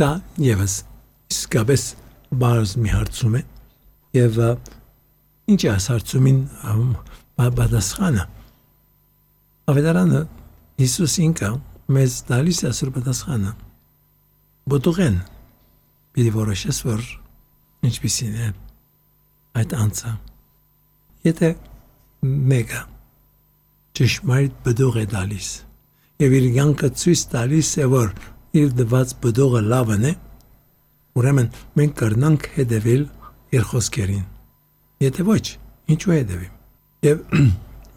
Սա եւս իսկապես բարձ մի հարցում է եւ ինչ է հարցումին պատասխանը ավետարանը Հիսուս ինքը մեզ տալիս է ասոր պատասխանը բոդուղեն պիտի որոշես որ ինչպիսին է այդ անձը եթե մեկը ճշմարիտ բդող է տալիս եւ իր յանքը ցույց տալիս է որ իր դված բդողը լավն է ուրեմն մենք կրնանք հետևել իր խոսքերին եթե ոչ ինչու հետևիմ եւ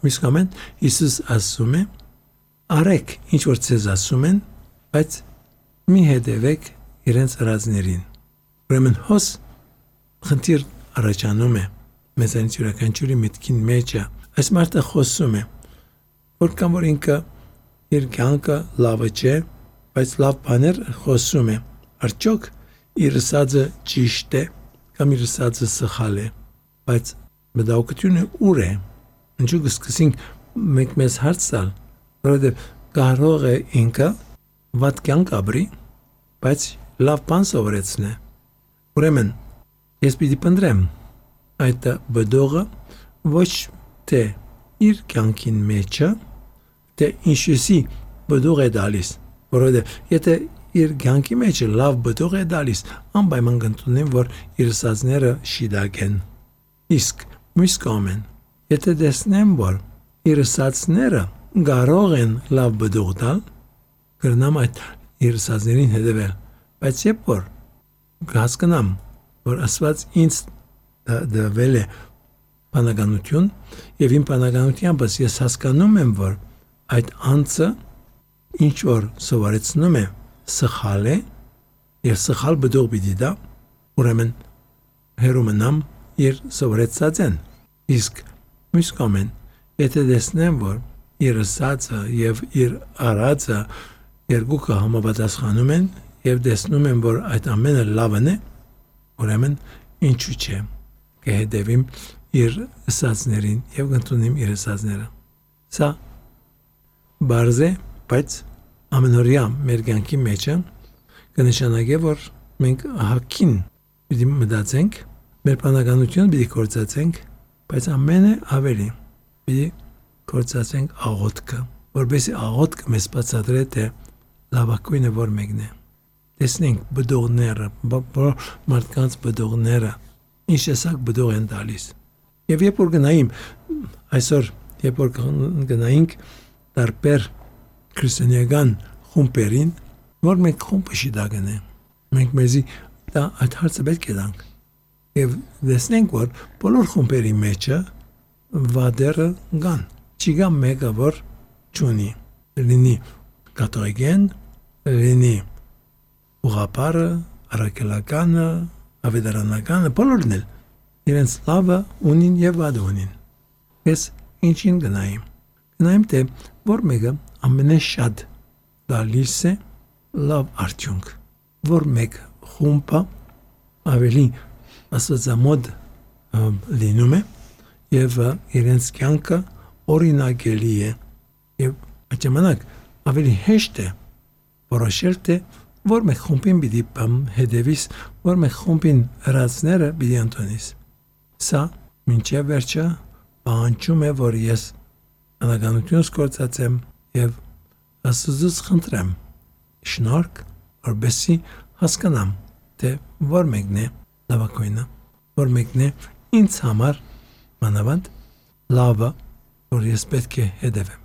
միսկամեն Հիսուս ասում է արեք ինչ որ ցեզ ասում են բայց մի հետևեք իրենց ռազներին ուրեմն հոս խնդիր առաջանում է մեզանից յուրաքանչյուրի միտքին մեջը այս մարդը խոսում է որքան որ ինքը իր կյանքը լավը չէ բայց լավ բաներ խոսում է արդյոք իր ասածը ճիշտ է կամ իր ասածը սխալ է բայց մտահոգությունը ուր է ինչու կսկսենք մենք մեզ հարց տալ որովհետև կարող է ինքը վատ կյանք ապրի բայց լավ բան սովորեցնե ուրեմն ես պիտի փնտրեմ այդ բդողը ոչ թե իր կյանքին մեջը թե ինչպիսի բդող է դալիս որովհետև եթե իր կյանքի մեջը լավ բդող է դալիս անպայման կընդունեմ որ իր ասածները շիդակ են իսկ մյուս կողմեն եթե տեսնեմ որ իր ասածները կարող են լավ բդող տալ կրնամ այդ իր ասածներին հետևել բայց երբ որ հասկանամ որ ասված ինձ դվել է բանականություն եւ իմ բանականությամբ ես հասկանում եմ որ այդ անձը ինչ որ սովորեցնում է սխալ է եւ սխալ բդող պիտի դա ուրեմն հերոմնամ իր սովորեցածեն իսկ մյուս կողմեն եթե տեսնեմ որ իր ասածը եւ իր արածը երկուքը համապատասխանում են եւ տեսնում եմ որ այդ ամենը լավն է ուրեմն ինչու՞ չէ կհետևիմ իր ասածներին եւ կընդունեմ իր ասածները սա բարձ է բայց ամենօրյա մեր կյանքի մեջը կնշանակե որ մենք հակին պիտի մտածենք մեր բանականությունը պիտի կործացենք բայց ամենը ավելի պիտի կործացենք աղոթքը որովհետեւ աղոթքը մեզ բացատրե թե լավակույնը որ մեկն է տեսնենք բդողները մարդկանց բդողները ինչ տեսակ բդող են տալիս եւ երբ որ գնայինք այսօր երբ որ գնայինք տարբեր քրիստոնեական խումբերին որ մենք խումբը շիդագն է մենք մեզի դա այդ հարցը պետք է տանք եւ տեսնենք որ բոլոր խումբերի մեջը վադերը կան չի գա մեկը որ չունի լինի կաթողիկեն լինի ուղղապարը առաքելականը ավետարանականը բոլորն էլ իրենց լավը ունին եւ վադը ունին ես ինչին գնայիմ թե որ մեկը ամենաշատ դալիս է լավ արդյունք որ մեկ խումբը ավելի ասածամոդ լինում է եւ իրենց կյանքը օրինակելի է եւ այդ ժամանակ ավելի հեշտ է որոշել թե որ մեկ խումբին պիտի հետևիս որ մեկ խումբին հրացները պիտի ընդունիս սա մինչև վերջը պահանջում է որ ես անականությունս կործացեմ եւ Աստծուց խնդրեմ շնորհք որպեսզի հասկանամ թե որ մեկն է լավակույնը որ մեկն է ինձ համար մանավանդ լավը որ ես պետք է հետևեմ